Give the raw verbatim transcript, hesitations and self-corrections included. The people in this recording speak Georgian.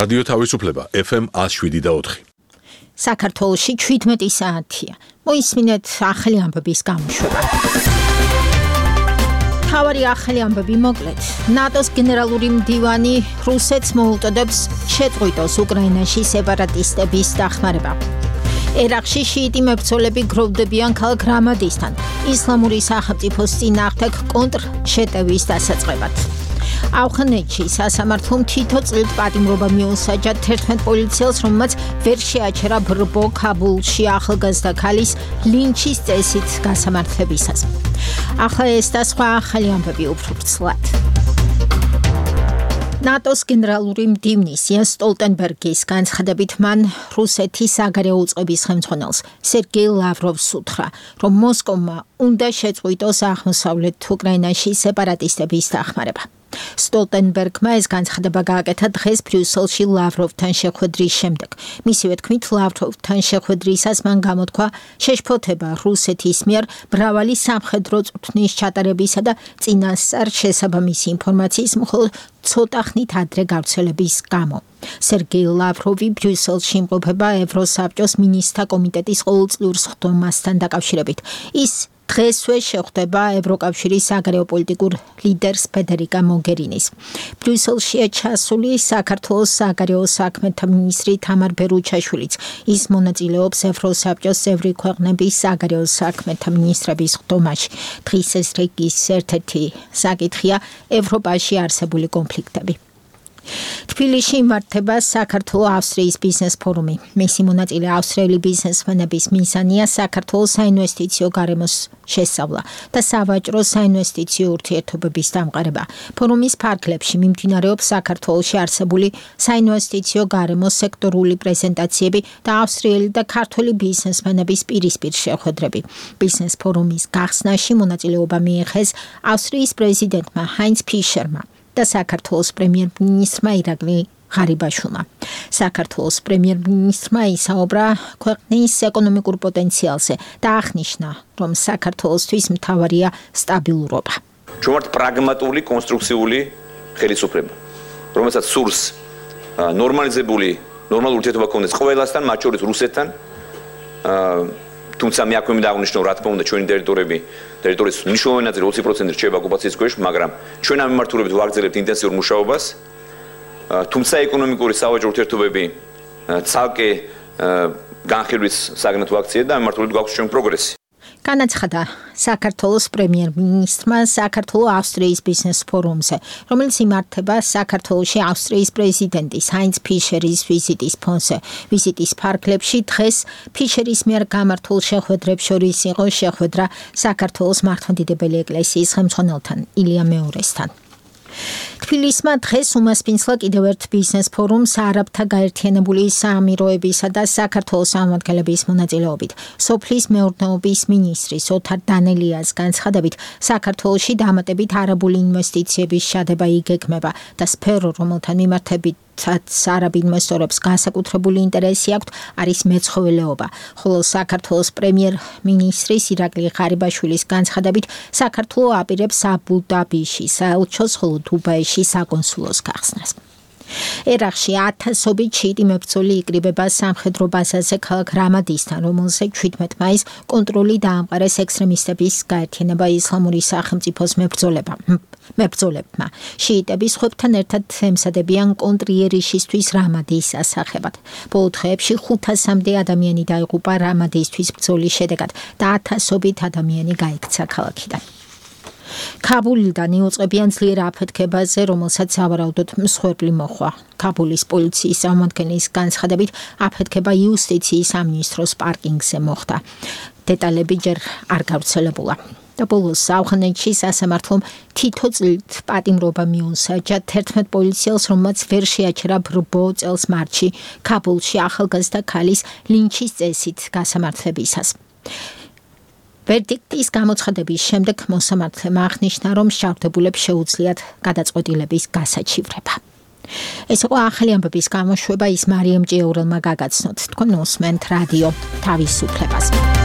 რადიო თავისუფლება ეფ ემ ათს შვიდი და ოთხი. საქართველოში შვიდმეტი საათია. მოისმინეთ ახალი ამბების გამოშვება. თავარი ახალი ამბები მოკლედ. ნატოს გენერალური მდივანი რუსეთს მოუწოდებს შეწყვიტოს უკრაინაში სეპარატისტების დახმარება. ერაყში შიიტი მებრძოლები გროვდებიან ქალაქ რამადისთან ისლამური სახელმწიფოს წინააღმდეგ კონტრშეტევის დასაწყებად. ავღანეთში სასამართლომ თითო წლით პატიმრობა მიუსაჯა თერთმეტ პოლიციელს, რომელმაც ვერ შეაჩერა ბრბო ქაბულში ახალგაზრდა ქალის ლინჩის წესით გასამართლებისას. ახლა ეს და სხვა ახალი ამბები უფრო ვრცლად. ნატოს გენერალური მდივნის იენს სტოლტენბერგის განცხადებით მან რუსეთის საგარეო უწყების ხელმძღვანელს სერგეი ლავროვს უთხრა, რომ მოსკოვმა უნდა შეწყვიტოს აღმოსავლეთ უკრაინაში სეპარატისტების დახმარება. სტოლტენბერგმა ეს განცხადება გააკეთა დღეს ბრიუსელში ლავროვთან შეხვედრის შემდეგ. მისივე თქმით, ლავროვთან შეხვედრისას მან გამოთქვა შეშფოთება რუსეთის მიერ მრავალი სამხედრო წვრთნის ჩატარებისა და წინასწარ შესაბამისი ინფორმაციის მხოლოდ ცოტა ხნით ადრე გავრცელების გამო. სერგეი ლავროვი ბრიუსელში იმყოფება ევროსაბჭოს მინისტრთა კომიტეტის ყოველწლიურ სხდომასთან დაკავშირებით. ის დღესვე შეხვდება ევროკავშირის საგარეო პოლიტიკურ ლიდერს ფედერიკა მოგერინის. ბრიუსელშია ჩასული საქართველოს საგარეო საქმეთა მინისტრი თამარ ბერუჩაშვილიც. ის მონაწილეობს ევროსაბჭოს წევრი ქვეყნების საგარეო საქმეთა მინისტრების სხდომაში. დღის ეს რეგის ერთ-ერთი საკითხია ევროპაში არსებული კონფლიქტები. თბილისში იმართება საქართველო-ავსტრიის ბიზნეს ფორუმი. მისი მონაწილე ავსტრიელი ბიზნესმენების მიზანია საქართველოს საინვესტიციო გარემოს შესწავლა და სავაჭრო საინვესტიციო ურთიერთობების დამყარება. ფორუმის ფარგლებში მიმდინარეობს საქართველოში არსებული საინვესტიციო გარემოს სექტორული პრეზენტაციები და ავსტრიელი და ქართველი ბიზნესმენების პირისპირ შეხვედრები. ბიზნეს ფორუმის გახსნაში მონაწილეობა მიიღეს ავსტრიის პრეზიდენტმა ჰაინც ფიშერმა და საქართველოს პრემიერ-მინისტრმა ირაკლი ღარიბაშვილმა. საქართველოს პრემიერ-მინისტრმა ისაუბრა ქვეყნის ეკონომიკურ პოტენციალზე და აღნიშნა, რომ საქართველოსთვის მთავარია სტაბილურობა. ჩვენ ვართ პრაგმატული, კონსტრუქციული ხელისუფლება, რომელსაც სურს ნორმალიზებული, ნორმალური ურთიერთობა გქონდეს ყველასთან, მათ შორის რუსეთთან. თუმცა მე აქვე მინდა აღნიშნო, რა თქმა უნდა, ჩვენი ტერიტორიები, ტერიტორიის მნიშვნელოვანი ნაწილი ოცი პროცენტი რჩება ოკუპაციის ქვეშ, მაგრამ ჩვენ ამ მიმართულებით ვაგრძელებთ ინტენსიურ მუშაობას. თუმცა ეკონომიკური სავაჭრო ურთიერთობები ცალკე განხილვის საგნად ვაქციეთ და ამ მიმართულებით გვაქვს ჩვენ პროგრესი. განაცხადა საქართველოს პრემიერ-მინისტრმა საქართველო-ავსტრიის ბიზნეს ფორუმზე, რომელიც იმართება საქართველოში ავსტრიის პრეზიდენტის ჰაინც ფიშერის ვიზიტის ფონზე. ვიზიტის ფარგლებში დღეს ფიშერის მიერ გამართულ შეხვედრებს შორის იყო შეხვედრა საქართველოს მართლმადიდებელი ეკლესიის ხელმძღვანელთან ილია მეორესთან. თბილისმა დღეს უმასპინძლა კიდევ ერთ ბიზნეს ფორუმს არაბთა გაერთიანებული საამიროებისა და საქართველოს წარმომადგენლების მონაწილეობით. სოფლის მეურნეობის მინისტრის ოთარ დანელიას განცხადებით, საქართველოში დამატებით არაბული ინვესტიციების შადება იგეგმება და სფერო, რომელთან მიმართებით არაბ ინვესტორებს განსაკუთრებული ინტერესი აქვთ, არის მეცხოველეობა. ხოლო საქართველოს პრემიერ-მინისტრის ირაკლი ღარიბაშვილის განცხადებით, საქართველო აპირებს აბუ-დაბიში საელჩოს, ხოლო დუბაიში საკონსულოს გახსნას. ერაყში ათასობით შიიტი მებრძოლი იკრიბება სამხედრო ბაზაზე ქალაქ რამადისთან, რომელზე შვიდმეტ მაისს კონტროლი დაამყარეს ექსტრემისტების გაერთიანება ისლამური სახელმწიფოს მებრძოლებმა. შიიტები სხვებთან ერთად ემზადებიან კონტრიერიშისთვის რამადის ასახებად. ბოლო დღეებში ხუთასამდე ადამიანი დაიღუპა რამადისთვის ბრძოლის შედეგად და ათასობით ადამიანი გაიქცა ქალაქიდან. ქაბულიდან იუწყებიან ძლიერ აფეთქებაზე, რომელსაც სავარაუდოდ მსხვერპლი მოჰყვა. ქაბულის პოლიციის წარმომადგენლის განცხადებით, აფეთქება იუსტიციის სამინისტროს პარკინგზე მოხდა. დეტალები ჯერ არ გავრცელებულა. და ბოლოს ავღანეთში სასამართლომ თითო წლით პატიმრობა მიუსაჯა თერთმეტ პოლიციელს, რომელმაც ვერ შეაჩერა ბრბო წელს მარტში ქაბულში ახალგაზრდა ქალის ლინჩის წესით გასამართლებისას. ვერდიქტის გამოცხადების შემდეგ მოსამართლემ აღნიშნა, რომ მსჯავრდებულებს შეუძლიათ გადაწყვეტილების გასაჩივრება. ეს იყო ახალი ამბების გამოშვება, ის მარიამ ჭიაურელმა გაგაცნოთ. თქვენ უსმენთ რადიო თავისუფლებას.